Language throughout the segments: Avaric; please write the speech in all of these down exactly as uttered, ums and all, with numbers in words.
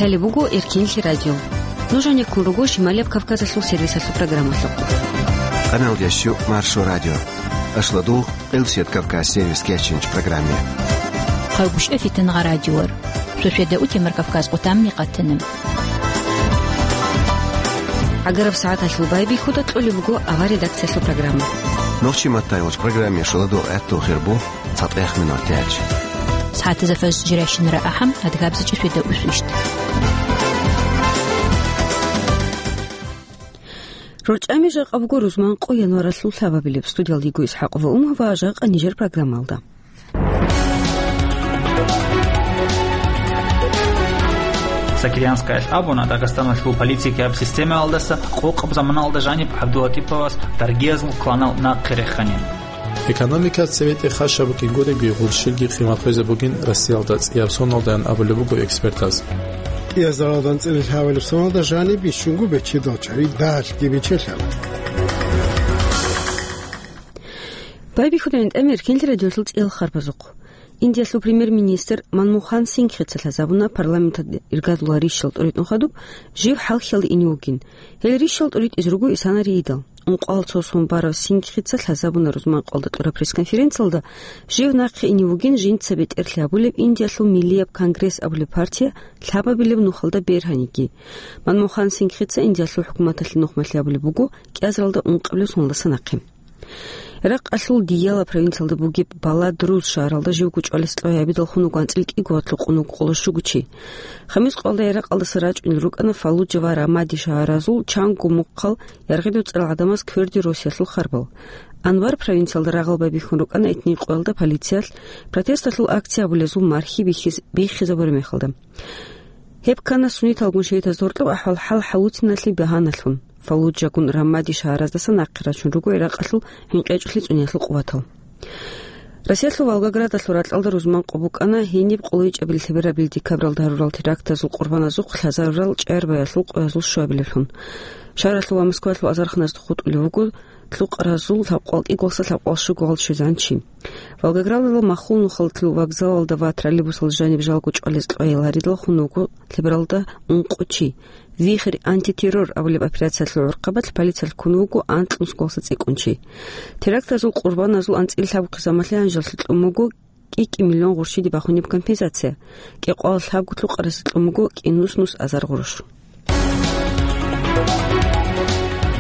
Лъалеб буго Эркинлъи радио. Нуж гьанеккун руго Шималияб Кавказалъул сервисалъул программалъухъ. Къаналдияс щу Маршо радио. Ашладул Къилсият Кавказ сервис кечинч программе. Хъарбушев Фитангъа радиор. Суседа утемар Кавказ къутамни къатана. ГӀагараб сагӀаталъул байбихьуда кьолеб буго авар редакциялъул программа. Нохчи маттайгъуч программе шуладул гӀаттул хирбу цатӀех минут тяч. СагӀатазда фаз жирайщинара ахӀам, адгабзачӀи суседа усвищт. РорчӀами жакъа буго рузман къо январалъул лъабабилеб. Студиялда йиго ИсхӀакъова Умар ва жакъа нижер программалда. Сакирианскаялъ абуна, Дагъистаналъул политикияб системаялдаса къокъаб заманалда жаниб ГӀабдуллатӀиповас даргиязул кланал нахъе реханин. Экономика цеве тӀехъашаб букӀин гуребги, гъурщилги къимат гьезе бугин Россиялда цӀияб соналдаян абулеб буго экспертаз. КӀиазаралда анцӀила лъабабилеб соналда жаниб бищунго бечедал чари дагьалъги бичелъана. Байбихьуда гӀинтӀаме Эркинлъи радиолъул цӀиял харбазухъ. Индиялъул премьер-министр Манмухан Сингхица лъазабуна парламенталда иргадуларищал тӀуритӀун хадуб жив хӀалхьиялде ине вугин. Гьел рищал тӀуритӀизе руго исанариидал. Ункъоялда цо сон барав Сингхица лъазабуна рузман къоялда кьураб пресс-конференциялда, жив нахъе ине вугин жинца бетӀерлъи гьабулеб Индиялъул Миллияб конгресс абулеб партия лъабабилеб нухалда бергьаниги. Манмухан Сингхица Индиялъул хӀукуматалъе нухмалъи гьабулеб буго кӀиазаралда ункъабилеб соналдаса нахъе. Иракъалъул Дияла провинциялда бугеб Баладруз шагьаралда живго чӀвалес кьвей гьабидал хун вуго анцӀила кӀиго ватлъухъун вуго къоло щуго чи. Хамис къоялда Иракъалдаса рачӀунел рукӀана Фаллуджа ва Рамади шагьаразул чанго мухъал яргъидул цӀарал гӀадамаз кверде росиялъул харбал. Анбар провинциялда рагъал байбихьун рукӀана этникъоялда полициялъ протесталъул акция гьабулезул мархи бихьиз-, биххизабураб мехалда. Гьеб ккана сунниталгун шагьидаз гьоркьоб ахӀвал хӀал хӀалуциналъе багьаналъун. Фаллуджагун Рамади шагьараздаса нахъе рачун руго Иракъалъул гӀинкъечӀолъи цӀунеялъул къуватал. Россиялъул Волгоградалъул ракьалда рузман къо букӀана гьениб къоло ичӀабилеб лъеберабилеб декабралда гьарурал терактазул къурбаназухъ лъазарурал чӀегӀер баялъул къоязул щуабилеблъун. Шагьаралъул ва Москваялъул азарханазда хутӀулев вуго лъукъаразул лъабкъоялда кӀиголъа лъабкъоялда щуго гъал щвезегӀан чи. Волгоградалда Махул нухалъул вокзалалда ва троллейбусалда жаниб жалго чӀвалез кьвей гьаридал хун вуго лъебералда ункъо чи. «Вихрь антитеррор» абулеб операциялъул гӀурхъабалъ полициялъ ккун вуго анкьнусголъа цӀикӀкӀун чи. Терактазул къурбаназул анцӀила лъабго хъизамалъе гьанжеллъи кьун буго кӀи-кӀи миллион гъурщиде бахунеб компенсация, кӀикъоялда лъабго лъукъарасе кьун буго кӀинуснус азар гъурущ.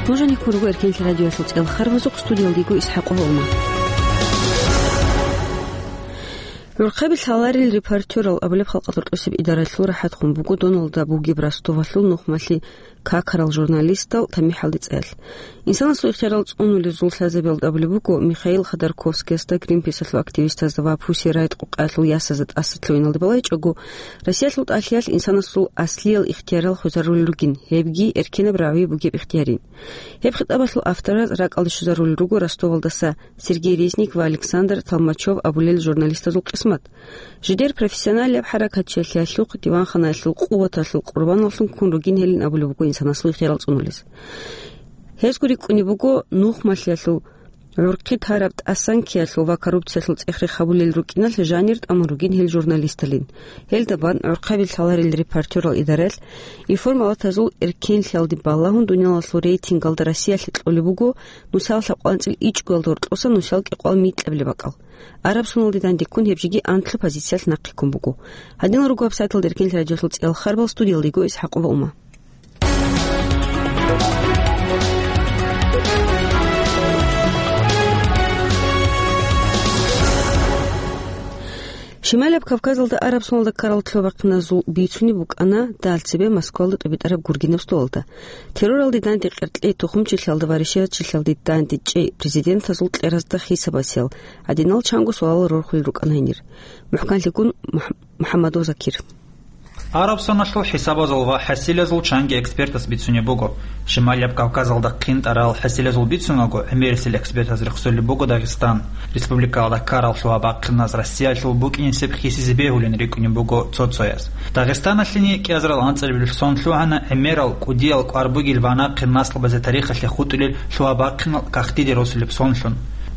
Нуж гьанеккун руго Эркинлъи радиоялъул цӀел харбазухъ, студиялда йиго ИсхӀакъова Ума. ГӀурхъаби лъаларел репортерал абулеб халкъалда рокьосеб идаралъул рахӀатхъун буго Доналда бугеб Ростовалъул нухмалъи какарал журналистал тамихӀалде цӀеялъ. Инсанасул ихтиярал цӀунулезул лъазабиялда абулеб буго, Михаил Ходорковскиясда, Гринписалъул активистазда ва Пусси Райт къукъаялъул ясазда тӀаса лъугӀиналде балайчӀого, Россиялъул тӀалъиялъ инсанасул аслиял ихтиярал хвезарулел ругин, гьебги эркенаб рагӀи бугеб ихтиярин. Гьеб хитӀабалъул автораз ракӀалде щвезарулел руго Ростовалдаса Сергей Резник ва Александр Толмачев абулел журналистазул къисмат. Жидер профессионалияб хӀаракатчилъиялъухъ, диванханаялъул къуваталъул къурбаналлъун ккун ругин гьелин абулеб буго инсанасул ихтиярал цӀунулез. Гьезго рикӀкӀунеб буго нухмалъиялъул, гӀурхъи тараб тӀасан ккеялъул ва коррупциялъул цӀех-рех гьабулел рукӀиналъ жанир тӀамун ругин гьел журналисталин. Гьелда бан гӀурхъаби лъаларел репортерал идаралъ, информалатазул эркенлъиялде балагьун дуниялалъул рейтингалда Россиялъе кьолеб буго нусал лъабкъоялда анцӀила ичӀгоялда гьоркьоса нусал кӀикъоялда микьабилеб бакӀал. Араб соналде дандеккун гьеб жеги анкьаб позициялъ нахъе ккун буго. Гьадинал руго абсайтал Эркинлъи радиолъул цӀел харбал, студиялда йиго ИсхӀакъова Ума. Шималияб Кавказалда араб соналда ккарал лъугьа-бахъиназул бицунеб букӀана дагьал цебе Москвалда тӀибитӀараб гургинаб столалда. Терроралде данде къеркьей тухумчилъиялда ва решетчилъиялде данде чӀей президентазул кьеразда хисабасиял гьадинал чанго суалал рорхулел рукӀана гьенир. МухӀканлъигун Мух-, МухӀаммадов Закир. Араб соналъул хӀисабазул ва хӀасилазул чанги экспертас бицунеб буго. Шималияб Кавказалда хъинтӀарал хӀасилазул бицунаго, гӀемерисел экспертаз рехсолеб буго Дагъистан. Республикалда ккарал лъугьа-бахъиназ Россиялъул букӀинесеб хисизе бегьулин рикӀкӀунеб буго цо-цояс. Дагъистаналъени кӀиазарал анцӀабилеб сон лъугьана гӀемерал, кӀудиял, кӀвар бугел ва нахъе наслабазе тарихалъе хутӀулел лъугьа-бахъинал кагътиде росулеб сонлъун.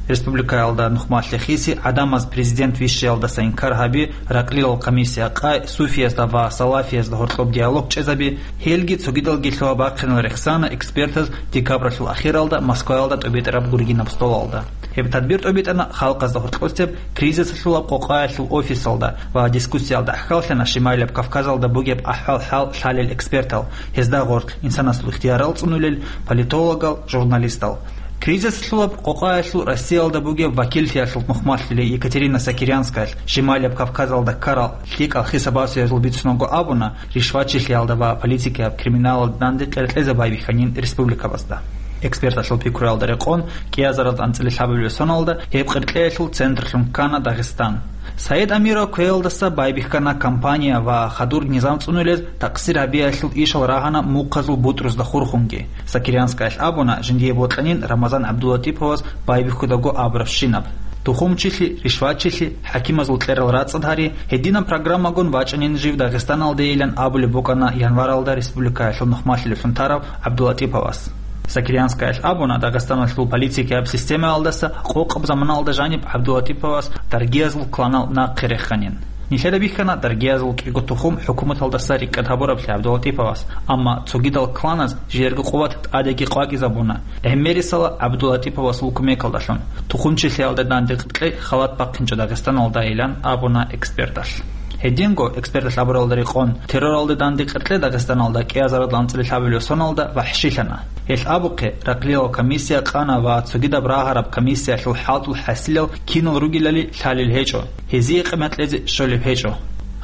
Республикаялда нухмалъи хиси, гӀадамаз президент вищиялдаса инкар гьаби, ракълилал комиссия къай, суфиязда ва салафиязда гьоркьоб диалог чӀезаби, гьелги цогидалги лъугьа-бахъинал рехсана экспертаз декабралъул ахиралда Москваялда тӀобитӀараб гургинаб столалда. Гьеб тадбир тӀобитӀана халкъазда гьоркьосеб кризисалъулаб къокъаялъул офисалда ва дискуссиялда гӀахьаллъана Шималияб Кавказалда бугеб ахӀвал-хӀал лъалел экспертал, гьезда гъорлъ инсанасул ихтиярал цӀунулел политологал, журналистал. Кризисалъулаб къокъаялъул Россиялда бугеб вакиллъиялъул нухмалъулей Екатерина Сокирянскаялъ Шималияб Кавказалда ккарал лъикӀал хисабасиязул бицунаго абуна, ришватчилъиялда ва политикияб криминалалда данде къеркьезе байбихьанин республикабазда. Эксперталъул пикруялда рекъон, кӀиазаралда анцӀила лъабабилеб соналда гьеб къеркьеялъул центрлъун ккана Дагъистан. Саид Амиров кквеялдаса байбихьана кампания ва хадур низам цӀунулез такъсир гьабиялъул ишал рагьана мухъазул бутӀрузда хурхунги. Сокирянскаялъ абуна, жиндие бокьанин Рамазан ГӀабдулатӀиповас байбихьудаго абурабщинаб. Тухумчилъи, ришватчилъи, хӀакимазул кьерал рацӀцӀад гьари, гьединаб программагун вачӀанин жив Дагъистаналдейилан абулеб букӀана январалда республикаялъул нухмалъилевлъун тарав ГӀабдулатӀиповас. Сокирянскаялъ абуна, Дагъистаналъул политикияб системаялдаса къокъаб заманалда жаниб ГӀабдулатӀиповас даргиязул кланал нахъе реханин. Нилъеда бихьана даргиязул кӀиго тухум хӀукуматалдаса рикӀкӀад гьабураблъи ГӀабдулатӀиповас, амма цогидал кланаз жидерго къуват тӀадеги къвакӀизабуна, гӀемерисела ГӀабдулатӀиповасул кумекалдалъун, тухумчилъиялда данде къеркьей халат бахъинчӀо Дагъистаналдайилан абуна эксперталъ. Гьединго, эксперталъ абуралда рекъон, терроралда данде къеркьей Дагъистаналда кӀиазаралда анцӀила лъабабилеб соналда вахӀшилъана. Гьелъ абухъе, ракълилал комиссия къана ва цогидаб рагьараб комиссиялъул хӀалтӀул хӀасилал кинал ругелали лъалел гьечӀо, гьезие къимат кьезе щолеб гьечӀо.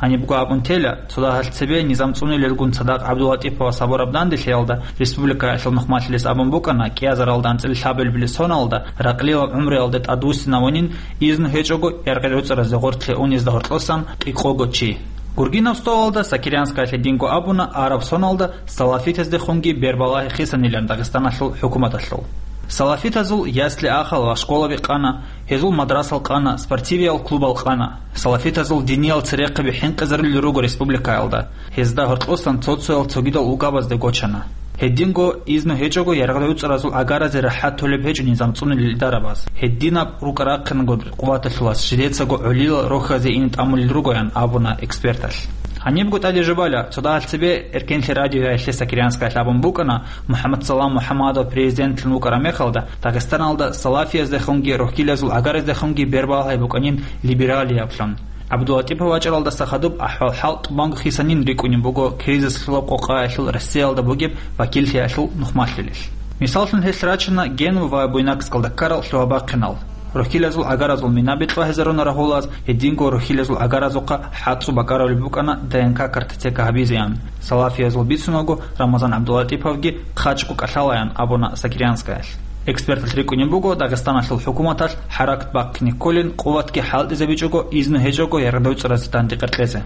Гьанибго абун тела, цо дагьалъ цебе низам цӀунилелгун цадахъ ГӀабдулатӀиповас гьабураб данделъиялда республикаялъул нухмалъилес абун букӀана, кӀиазаралда анцӀила лъабабилеб соналда ракълилал гӀумруялде тӀадвуссинавунин, изну гьечӀого яргъи-гӀуцӀаразе гъоркье унезда гьоркьосан кӀикъого чи. Гургинаб столалда Сокирянскаялъ гьединго абуна, араб соналда салафитаздехунги бербалагьи хисанилан Дагъистаналъул хӀукуматалъул. Салафитазул ясли-ахал ва школаби къана, гьезул мадрасал къана, спортивиял клубал къана. Салафитазул диниял церехъаби хӀинкъизарулел руго республикаялда, гьезда гьоркьосан цо-цоял цогидал улкабазде гочана. Гьединго изну гьечӀого яргъи-гӀуцӀаразул агаразе рахӀат толеб гьечӀо низам цӀунел идарабаз. Гьединаб рукӀа-рахъинго къуваталъулас жидецаго гӀолилал рохьазе ине тӀамулел ругоян абуна эксперталъ. Гьанибго тӀаде жубала, цо дагьалъ цебе Эркенлъи радиоялъе Сокирянскаялъ абун букӀана, МухӀаммадсалам МухӀаммадов президентлъун вукӀараб мехалда, Дагъистаналда салафияздехунги рохьилазул агараздехунги бербалагьи букӀанин либералияблъун. ГӀабдулатӀипов вачӀаралдаса хадуб ахӀвал-хӀал тӀубанго хисанин рикӀкӀунеб буго кризислъулаб къокъаялъул Россиялда бугеб вакиллъиялъул нухмалъулел. Мисаллъун, гьелъ рачана Генва ва Буйнакскалда ккарал лъугьа-бахъинал. Рохьилазул агаразул мина бетӀлагьизаруна рагьулаз, гьединго рохьилазул агаразухъа хӀацӀцӀу бакӀаравулеб букӀана Д Н К картотека гьабизе ан. Салафиязул бицунаго, Рамазан ГӀабдулатӀиповги хъачӀго кӀалъалаян абуна Сокирянскаялъ. Эксперталъ рикӀкӀунеб буго, Дагъистаналъул хӀукуматалъ хӀаракат бахъине кколин, къуватги хӀалтӀизабичӀого, изну гьечӀого яргъи-гӀуцӀразе данде къеркьезе.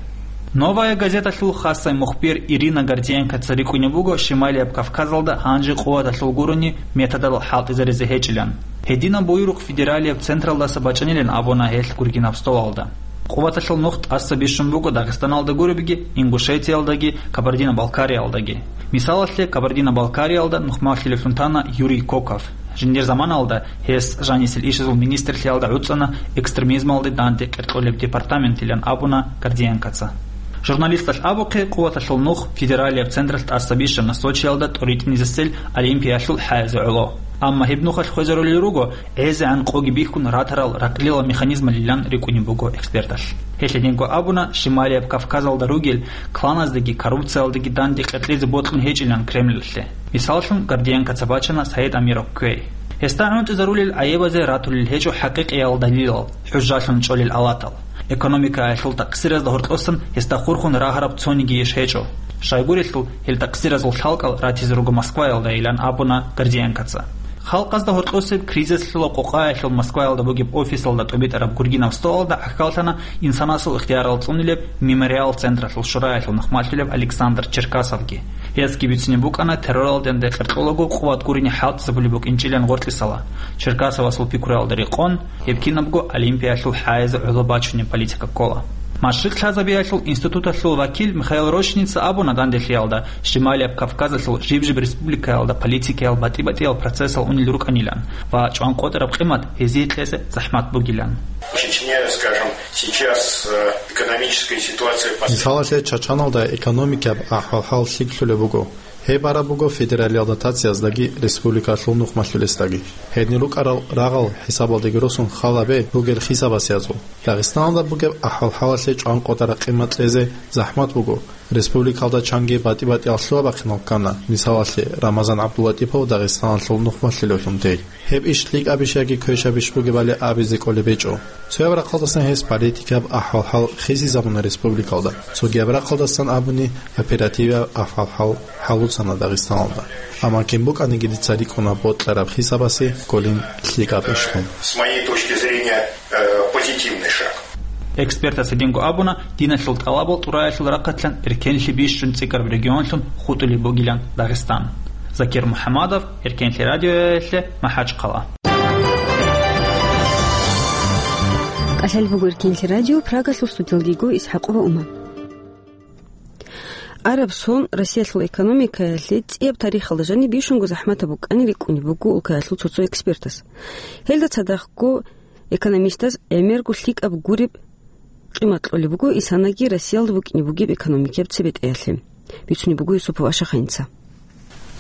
«Новая газеталъул» хасай мухбир Ирина Гордиенкоца рикӀкӀунеб буго Шималияб Кавказалда гьанже къуваталъул гурони методал хӀалтӀизаризе гьечӀилан. Гьединаб буюрухъ федералияб централдаса бачӀанилан абуна гьелъ гургинаб столалда. Къуваталъул нух тӀаса бищун буго Дагъистаналда гуребги, Ингушетиялдаги, Кабардино-Балкариялдаги. Мисалалъе, Кабардино-Балкариялда нухмалъилевлъун тана Юрий Коков. Жиндир заманалда гьес жанисел ишазул министрлъиялда гӀуцӀана экстремизмалде данде къеркьолеб департаментилан абуна Гордиенкоца. Журналисталъ абухъе, къуваталъул нух федералияб централъ тӀаса бищана Сочиялда тӀоритӀинизесел Олимпиялъул хӀаязе гӀоло. Амма гьеб нухалъ хвезарулел руго, гӀезегӀан къоги бихьун ратарал ракълилал механизмалилан рикӀкӀунеб буго эксперталъ. Гьелъ гьединго абуна, Шималияб Кавказалда ругел кланаздаги коррупциялдаги данде къеркьезе бокьун гьечӀилан Кремльалъе. Мисаллъун, Гордиенкоца бачана Саид Амиров кквей. Гьесда гӀунтӀизарулел гӀайибазе ратулел гьечӀо хӀакъикъиял далилал, хӀужжалъун чӀолел алатал. Экономикаялъул такъсиразда гьоркьосан гьесда хурхун рагьараб цониги иш гьечӀо. Щайгурелъул, гьел такъсиразул лъалкӀал ратизе руго Москваялдайилан абуна Гордиенкоца. Халкъазда гьоркьосеб кризислъула къокъаялъул Москваялда бугеб офисалда тӀубитӀараб гургинаб столалда гӀахьаллъана инсанасул ихтиярал цӀунилеб Мемориал централъул шураялъул нухмалъулев Александр Черкасовги. Гьесги бицунеб букӀана терроралденде къеркьолаго къуват гурине хӀалтӀизабулеб букӀинчӀилан гъоркьисала. Черкасовасул пикруялда рекъон, гьеб кинабго Олимпиялъул хӀаязе гӀоло бачунеб политика ккола. Машрикъ лъазабиялъул институталъул вакил Михаил Рощиница абуна данделъиялда, Шималияб Кавказалъул жиб-жиб республикаялда политикиял батӀи-батӀиял процессал унел рукӀанилан ва чӀван къотӀараб къимат гьезие кьезе захӀмат бугилан. В Чечне, скажем, сейчас, э, экономическая ситуация пос- Мисалалъе, Чачаналда экономикаб ахӀвал-хӀал лъикӀлъулеб буго. Гьеб бараб буго федералиялда тацияздаги республикалъул нухмалъулесдаги. Гьедин рукӀарал рагъал хӀисабалдеги росун халабе ругел хисабасиязул. Дагъистаналда бугеб ахӀвал-хӀалалъе чӀван къотӀараб къимат кьезе захӀмат буго. Республикалда чанги батӀи-батӀиял лъугьа-бахъинал ккана, мисалалъе, Рамазан ГӀабдуллатӀипов Дагъистаналъул нухмалъулевлъун тей. Гьеб иш лъикӀабищ яги квешабищ бугебали абизе кӀолеб гьечӀо. Цояб рахъалдасан гьес политикаб ахӀвал-хӀал хисизабуна республикалда, цогияб рахъалдасан абуни оперативаб ахӀвал-хӀал хӀалуцана Дагъистаналда. Амма кин букӀаниги дица рикӀкӀуна бокьараб хисабасе кколин лъикӀаб ишлъун. С моей точки зрения, э, позитивный шаг. Экспертас гьединго абуна, диналъул тӀалабал тӀураялъул рахъалъан эркенлъи бищун цӀикӀкӀараб регионлъун хутӀулеб бугилан Дагъистан. Закир МухӀаммадов, Эркенлъи радиоялъе, МахӀачхъала. КӀалъалеб буго Эркенлъи радио, Прагалъул студиялдего ИсхӀакъова Ума. Араб сон Россиялъул экономикаялъе цӀияб тарихалда жаниб бищунго захӀматаб букӀани рикӀкӀунеб буго улкаялъул цо-цо экспертас. Гьелда цадахъго экономистаз гӀемерго лъикӀаб гуреб къимат кьолеб буго исанаги Россиялда букӀине бугеб экономикияб цебетӀеялъе. Бицунеб буго Юсупов Ашаханица.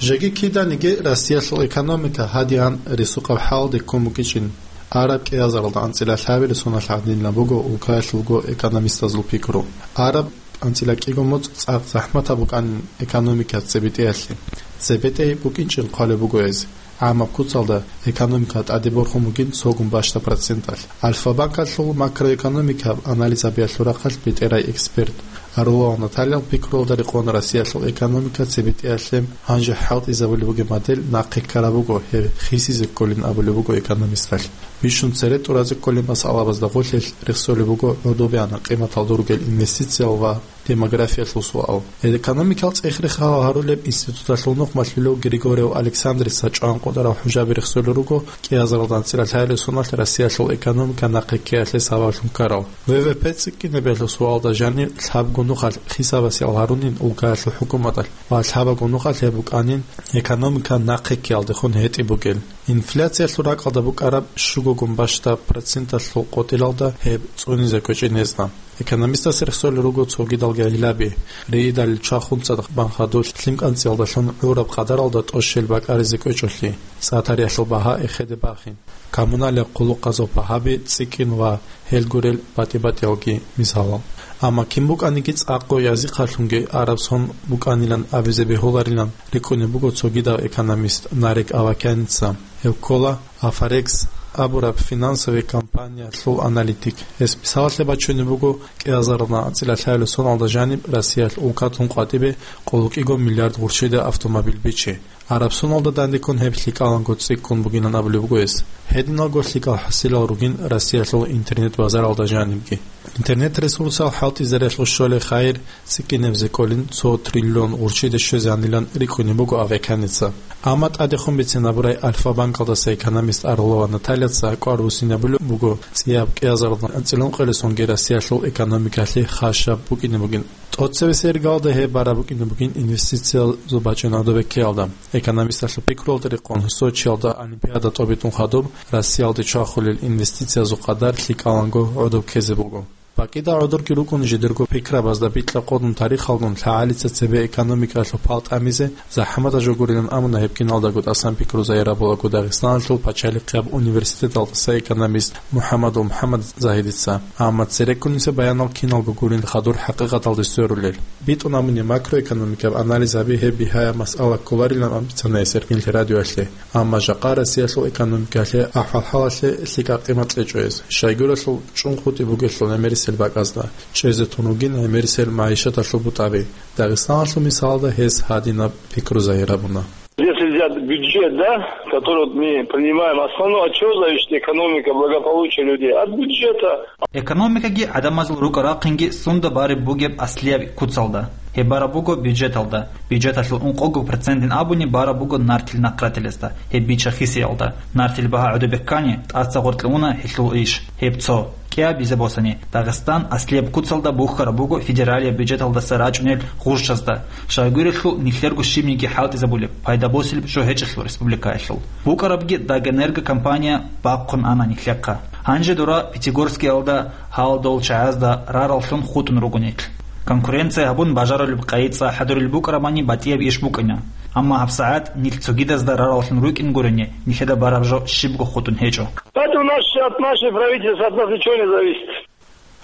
Жеги киданиги Россиялъул экономика гьадигӀан рисукъаб хӀалде ккун букӀинчӀин. Араб кӀиазаралда анцӀила лъабилеб соналъ гӀадинаб буго улкаялъулго экономистазул пикру. Араб анцӀила кӀиго моцӀ цӀакъ захӀматаб букӀанин экономика цебетӀеялъе. ЦебетӀей букӀинчӀин хъвалеб буго гьез. ГӀамаб куцалда экономика тӀаде борхун бугин цогун бащдаб проценталъ. Альфа-банкалъул макроэкономикаб анализабиялъул рахъалъ бетӀерай эксперт Орлова Натальял пикруялда рекъон Россиялъул экономика цебетӀеялъе гьанже хӀалтӀизабулеб бугеб модель нахъе ккараб буго, гьеб хисизе кколин абулеб буго экономисталъ. Бищун цере тӀуразе кколеб масъалабазда гъорлъ рехсолеб буго гӀодобегӀанаб къиматалда ругел инвестициял ва демографиялъул суал. Экономикал цӀех-рех гьарулеб институталъул нухмалъулев Григорьев Александрица чӀван къотӀарал хӀужаби рехсолел руго кӀиазаралда анцӀила лъабилеб соналъ Россиялъул экономика нахъе ккеялъе сабаблъун ккарал. В В П цӀикӀкӀинабиялъул суалда жаниб лъабго нухалъ хисабасиал гьарунин улкаялъул хӀукуматалъ ва лъабаго нухалъ гьеб букӀанин экономика нахъе ккеялдехун гьетӀи бугел. Инфляциялъул ракьалда букӀараб щугогун бащдаб проценталъул къотӀилалда гьеб цӀунизе кӀвечӀин гьезда. Экономистас рехсолел руго цогидал гӀиллаби: рейдалил чвахун цадахъ бан хадур, лъим кӀанцӀиялдалъун гӀураб къадаралда тӀощел бакӀаризе кӀвечӀолъи, цӀа-тарихӀалъул багьа эхеде бахин, коммуналияб хъулухъазул багьаби цӀикӀкӀин ва гьел гурел батӀи-батӀиялги мисалал. Амма кин букӀаниги цӀакъго язихъалъунги араб сон букӀанилан абизе бегьуларилан рикӀкӀунеб буго цогидав экономист Нарек Авакяница. Гьев ккола Афорекс абураб финансовый компаниялъул аналитик. Гьес мисалалъе бачунеб буго кӀиазаралда анцӀила лъабилеб соналда жаниб Россиялъ улкатун къватӀибе къоло кӀиго миллиард гъурччида автомобиль бичи. Араб соналда дандеккун гьеб лъикӀаланго цӀикӀкӀун бугилан абулеб буго гьес. Гьединалго лъикӀал хӀасилал ругин Россиялъул интернет-базаралда жанибги. Интернет-ресурсал хӀалтӀизариялъул щолеб хайир цӀикӀкӀинабизе кӀолин цо триллион гъурччиде щвезегӀанилан рикӀкӀунеб буго Авакяница. Амма тӀадехун бицинабурай Альфа-банкалдаса экономист Орлова Натальяца кӀвар буссинабулеб буго цӀияб кӀиазаралда анцӀила ункъоялдасанги Россиялъул экономикалъе хасаб букӀине бугин. ТӀоцебесеб иргаялда гьеб бараб букӀине бугин инвестициязул бачӀун гӀодобе ккеялда. Экономисталъул пикруялда рекъон, Сочиялда Олимпиада тӀобитӀун хадуб Россиялде чвахулел инвестициязул къадар лъикӀаланго гӀодоб ккезе буго. БакӀида гӀодорги рукӀун жидерго пикрабазда бикьа-къодун тарихалгун лъагӀалица цебе экономикаялъул пал тӀамизе захӀматаб жо гурилан абуна гьеб киналдаго тӀасан пикру загьирабулаго Дагъистаналъул пачалихъияб университеталдаса экономист МухӀаммадул МухӀаммад Загьидица. Амма цереккуниса баянал киналго гурин хадур хӀакъикъаталде сверулел. БитӀун абуни макроэкономикаб анализ гьаби гьеб бигьаяб масъала кколарилан абицана гьес Эркенлъи радиоялъе. Амма жакъа Россиялъул экономикалъе, ахӀвал-хӀалалъе лъикӀаб къимат кьечӀо гьес. Щайгурелъул чӀун хутӀи бугелъул гӀемерисел бакӀазда, чӀезе тун ругин гӀемерисел магӀишаталъул бутӀаби. Дагъистаналъул мисалда гьес гьадинаб пикру загьирабуна. Если взять бюджет, да, который вот мы принимаем, основное, от чего зависит экономика, благополучие людей? От бюджета. Экономикаги гӀадамазул рукӀа-рахъинги сунда бареб бугеб аслияб куцалда. Гьеб бараб буго бюджеталда, бюджеталъул ункъого процентин абуни бараб буго нартил нахъратилезда, гьеб бича-хисиялда. Нартил багьа гӀодобе ккани, тӀаса гъоркье уна гьелъул иш. Гьеб цо. КӀиабизе босани, Дагъистан аслияб куцалда бухьараб буго федералияб бюджеталдаса рачӀунел гъурщазда. Щайгурелъул нилъерго щибниги хӀалтӀизабулеб, пайда босилеб жо гьечӀелъул республикаялъул. БукӀарабги Дагэнерго компания бахъун ана нилъехъа. Гьанже дора Пятигорскиялда гьалдол чагӀазда рараллъун хутӀун руго нилъ. Конкуренция гьабун бажарулеб къайи цӀа хӀадурел букӀарабани батӀияб иш букӀина. Амма гьабсагӀат нилъ цогидазда рараллъун рукӀин гурени, нилъеда бараб жо щибго хутӀун гьечӀо. Поэтому наш, от нашей правительства, от нас ничего не зависит.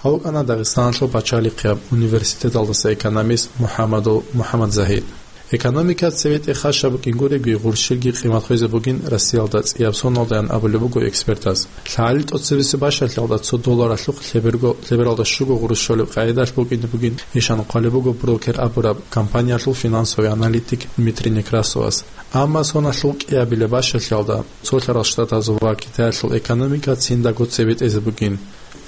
Гьав вукӀана Дагъистаналъул пачалихъияб университеталдаса экономист МухӀаммадов МухӀаммадзагьид. Экономика цеве тӀехьа щаб букӀин гуребги, гъурщилги къимат хвезе бугин Россиялда цӀияб соналдаян абулеб буго экспертаз. ЛъагӀалил тӀоцебесеб бащалъалда цо долларалъухъ лъеберго-, лъебералда щуго гъурущ щолеб къагӀидалъ букӀине бугин ишан хъвалеб буго брокер абураб компаниялъул финансовый аналитик Дмитрий Некрасовас. Амма соналъул кӀиабилеб бащалъалда Цолъарал Штатазул ва Китаялъул экономика циндаго цебетӀезе бугин.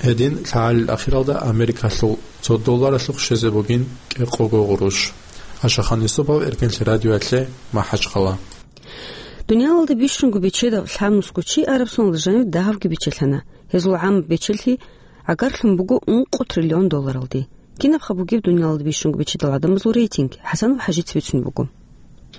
Гьедин лъагӀалил ахиралда Америкалъул цо долларалъухъ щвезе бугин кӀикъого гъурущ. Ашахан Юсупов, Эркенлъи радиоялъе, МахӀачхъала. Дуниялалда бищунго бечедав лъабнусго чи Арабсоналда жанив дагьабги бичелъана. Гьезул гӀамаб бечелъи гӀагарлъун буго ункъо триллион долларалде. Кинабха бугеб дуниялалда бищунго бечедал гӀадамазул рейтинг? ХӀасанов ХӀажица бицунеб буго.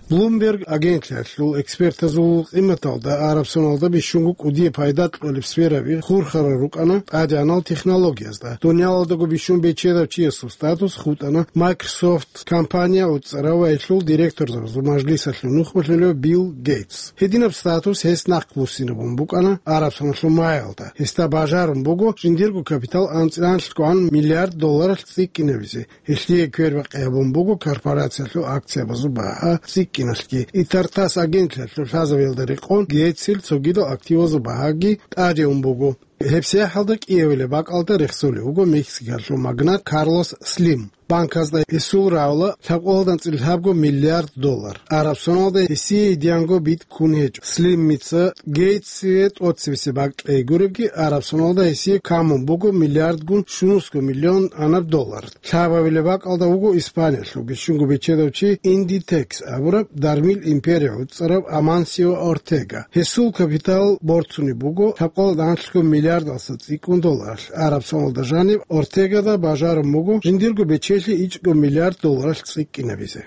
Bloomberg агентлъиялъул экспертазул къиматалда Арабсоналда бищунго кӀудияб пайда кьолеб сфераби хурхарал рукӀана тӀадегӀанал технологиязда. Дуниялалдаго бищун бечедав чиясул статус хутӀана Microsoft компания уцӀцӀарав ва гьелъул директорзабазул мажлисалъул нухмалъулев Билл Гейтс. Гьединаб статус гьес нахъбуссинабун букӀана Арабсоналъул магӀалда. Гьесда бажарун буго жиндирго капитал анцӀила анлъгогӀан миллиард долларалъ цӀикӀкӀинабизе. Гьелъие квербакъи гьабун буго корпорациялъул акциябазул багьа цӀикӀкӀиналъги. И Тартасс агентлъиялъул лъазабиялда рекъон Гейтсил цогидал активазул багьаги тӀаде ун буго. ГьебсагӀаталда кӀиабилеб бакӀалда рехсолев вуго Мексикалъул магнат Карлос Слим. Банказда гьесул рагӀула лъабкъоялда анцӀила лъабго миллиард доллар. Арабсоналда гьесие идеянго битӀ ккун гьечӀо. Слимица Гейтсие тӀоцебесеб бакӀ кьей гуребги, Арабсоналда гьесие камун буго миллиардгун щунусго миллион анаб доллар. Лъабабилеб бакӀалда вуго Испаниялъул бищунго бечедав чи Индитекс абураб дармил империя уцӀцӀарав Амансио Ортега. Гьесул капитал борцунеб буго лъабкъоялда анлъго миллиардалъа цӀикӀкӀун долларалъ. Арабсоналда жаниб Ортегада бажарун буго жиндирго бечелъи ичӀго миллиард долларалъ цӀикӀкӀинабизе.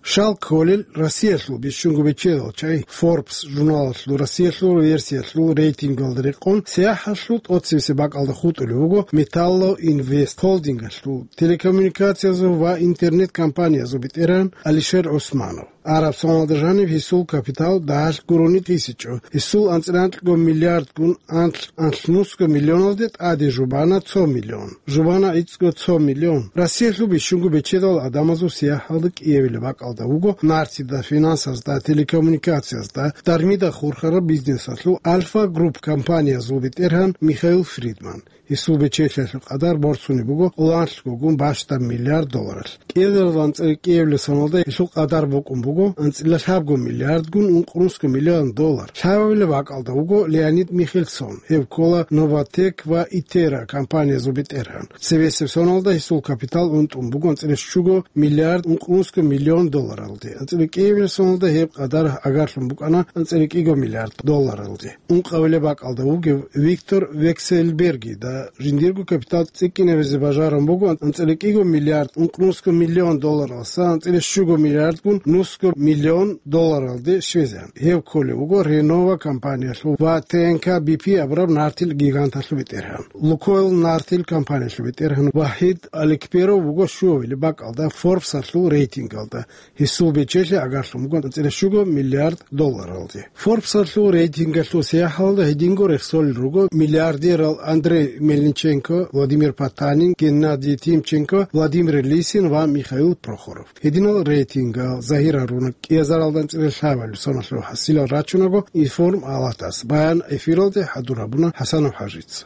Шал кколел Россиялъул бищунго бечедал чагӀи Forbes журналалъул Россиялъул версиялъул рейтингалда рекъон, сияхӀалъул тӀоцебесеб бакӀалда хутӀулев вуго Металлоинвест холдингалъул телекоммуникациязул ва интернет-компаниязул бетӀергьан Алишер ГӀусманов. Арабсоналда жаниб гьесул капитал дагьалъ гурони тӀисичӀо. Гьесул анцӀила анлъго миллиардгун анлъ-, анлънусго миллионалде тӀаде жубана цо миллион. Жубана ицӀго цо миллион. Россиялъул бищунго бечедал гӀадамазул сияхӀалда кӀиявилеб бакӀалда вуго нартида, финансазда, телекоммуникациязда, дармида хурхараб бизнесалъул Альфа Групп компаниязул бетӀергьан Михаил Фридман. Гьесул бечелъиялъул къадар борцунеб буго оланлъгогун бащдаб миллиард долларалъ. КӀиазарал анцӀила кӀиявилеб соналда гьелъул къадар букӀун буго анцӀила лъабго миллиардгун ункънусго миллион доллар. Лъабабилеб бакӀалда вуго Леонид Михельсон, гьев ккола Новатэк ва Итера компаниязул бетӀергьан. Цебесеб соналда гьесул капитал унтӀун буго анцӀила щуго миллиард ункънусго миллион долларалде. АнцӀила кӀиявилеб соналда гьеб къадар гӀагарлъун букӀана анцӀила кӀиго миллиард долларалде. Ункъабилеб бакӀалда вугев Виктор Вексельбергида жиндирго капитал цӀикӀкӀинабизе бажарун буго анцӀила кӀиго миллиард ункънусго миллион долларалъа анцӀила щуго миллиардгун нусго миллион долларалде щвезегӀан. Гьев кколев вуго Renova компаниялъул ва Т Н К Б П абураб нартил гиганталъул бетӀергьан. Лукойл нартил компаниялъул бетӀергьан Вахид Аликперов вуго щуабилеб бакӀалда Форбсалъул рейтингалда. Гьесул бечелъи гӀагарлъун буго анцӀила щуго миллиард долларалде. Форбсалъул рейтингалъул сияхӀалда гьединго рехсолел руго миллиардерал Андрей Мельниченко, Владимир Потанин, Геннадий Тимченко, Владимир Лисин ва Михаил Прохоров. Гьединал рейтингал загьир гьаруна кӀиазаралда анцӀила лъабабилеб соналъул хӀасилал рачунаго информ алатас. Баян эфиралде хӀадур гьабуна ХӀасанов ХӀажица.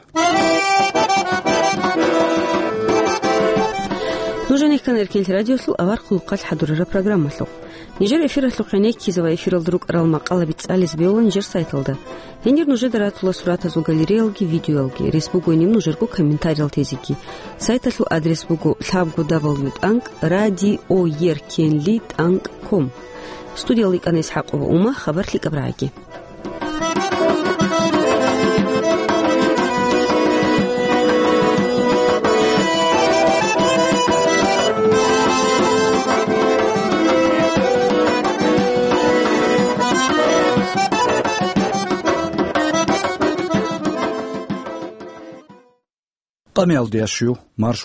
Нуж Ккана Эркенлъи радиолъул авар хъулухъалъ хӀадурараб программалъухъ. Нижер эфиралъухъ гӀенеккизе ва эфиралда рукӀарал макъалаби цӀализе бегьуларо нижер сайталда. Гьенир нужеда ратула суратазул галереялги видеоялги, рес бугони нужерго комментариялъ тезеги. Сайталъул адрес буго лъабго дабл ю тӀанкӀ радиоеркенли тӀанкӀ ком. Студиялда йикӀана ИсхӀакъова Ума, хабар лъикӀаб рагӀаги. Къамиялдиящу марш